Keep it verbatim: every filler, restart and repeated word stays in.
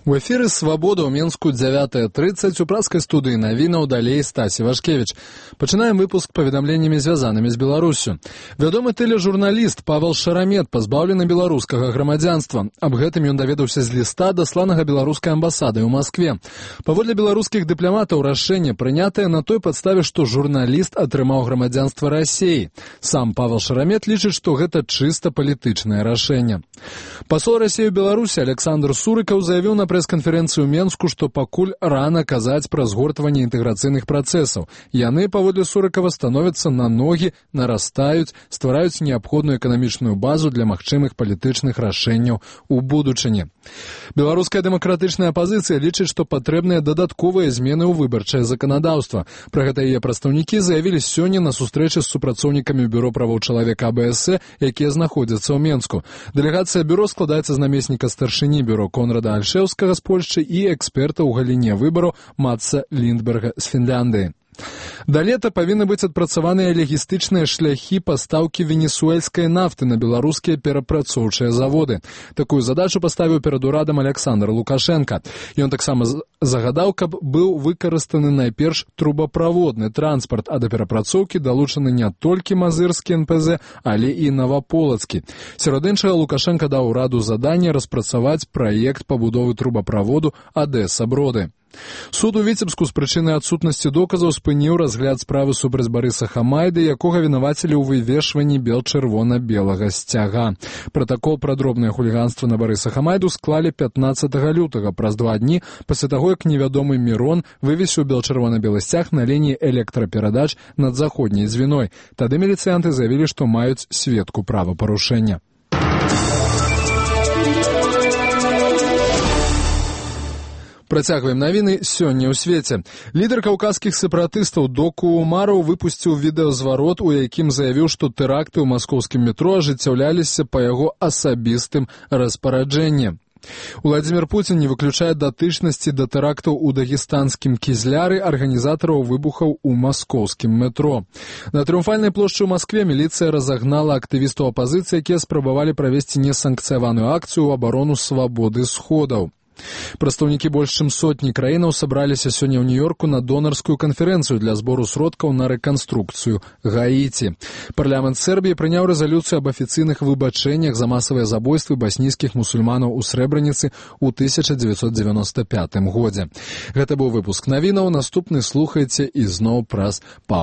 У эфіры «Свабода» ў Менску дзявятая трыццаць у праскай студыі навінаў далей Стасі Вашкевіч. Пачынаем выпуск паведамленнямі, звязанымі з Беларуссю. Вядомы тэлежурналіст Павел Шарамет пазбаўлены беларускага грамадзянства. Аб гэтым ён даведаўся з ліста, дасланага беларускай амбасадай у Маскве. Паводле беларускіх дыпламатаў рашэнне прынятае на той падставе, што журналіст атрымаў грамадзянства Расіі. Сам Павел Шарамет лічыць, што гэта чыста палітычнае рашэнне. Пасол Расіі ў Беларусі Александр Сурыкаў заявіў на прэс-канферэнцыю ў Менску, што пакуль рана казаць пра згортванне інтэграцыйных працэсаў. Яны, паводле Сурыкава, становяцца на ногі, нарастаюць, ствараюць неабходную эканамічную базу для магчымых палітычных рашэнняў у будучыні. Беларуская дэмакратычная апазіцыя лічыць, што патрэбныя дадатковыя змены ў выбарчае заканадаўства. Пра гэта яе прадстаўнікі заявілі сёння на сустрэчы з супрацоўнікамі Бюро правоў чалавека А Бэ Эс Э, якія знаходзяцца ў Менску. Дэлегацыя бюро складаецца з намесніка старшыні бюро Конрада Альшеўскага з Польшчы і эксперта ў галіне выбараў Матса Ліндберга з Фінляндыі. Да лета павінны быць адпрацаваныя лагістычныя шляхі пастаўкі венесуэльскай нафты на беларускія перапрацоўчыя заводы. Такую задачу паставіў перад урадам Александр Лукашенка. Ён таксама загадаў, каб быў выкарыстаны найперш трубаправодны транспарт, а да перапрацоўкі далучаны не толькі мазырскі Эн Пэ Зэ, але і наваполацкі. Сярод іншага Лукашенка даў ураду заданне распрацаваць праект пабудовы трубаправоду Адэса-Броды. Суд у Віцебску з прычыны адсутнасці доказаў спыніў разгляд справы супраць Барыса Хамайды, якога вінавацілі ў вывешванні бел-чырвона-белага сцяга. Пратакол пра дробнае хуліганства на Барыса Хамайду склалі пятнаццатага лютага, праз два дні пасля таго, як невядомы Мірон вывесіў бел-чырвона-белы сцяг на лініі электраперадач над заходняй звіной. Тады міліцыянты заявілі, што маюць сведку правапарушэння. Працягваем навіны сёння ў свеце. Лідар каўказскіх сепаратыстаў Доку Умараў выпусціў відэазварот, у якім заявіў, што тэракты ў маскоўскім метро ажыццяўляліся па яго асабістым распараджэнні. Уладзімір Пуцін не выключае датычнасці да тэрактаў у дагестанскім Кізляры арганізатараў выбухаў у маскоўскім метро. На Трыумфальнай плошчы ў Маскве міліцыя разагнала актывістаў апазіцыі, якія спрабавалі правесці несанкцыяваную акцыю ў абарону свабоды сходаў. Прадстаўнікі больш чым сотні краінаў сабраліся сёння ў Нью-Йорку на донарскую канферэнцыю для збору сродкаў на рэканструкцыю Гаіці. Парламент Сербіі прыняў рэзалюцыю аб афіцыйных выбачэннях за масавыя забойствы баснійскіх мусульманаў у Срэбраніцы ў тысяча дзевяцьсот дзевяноста пятым годзе. Гэта быў выпуск навінаў, наступны слухайце ізноў праз паўгадзіны.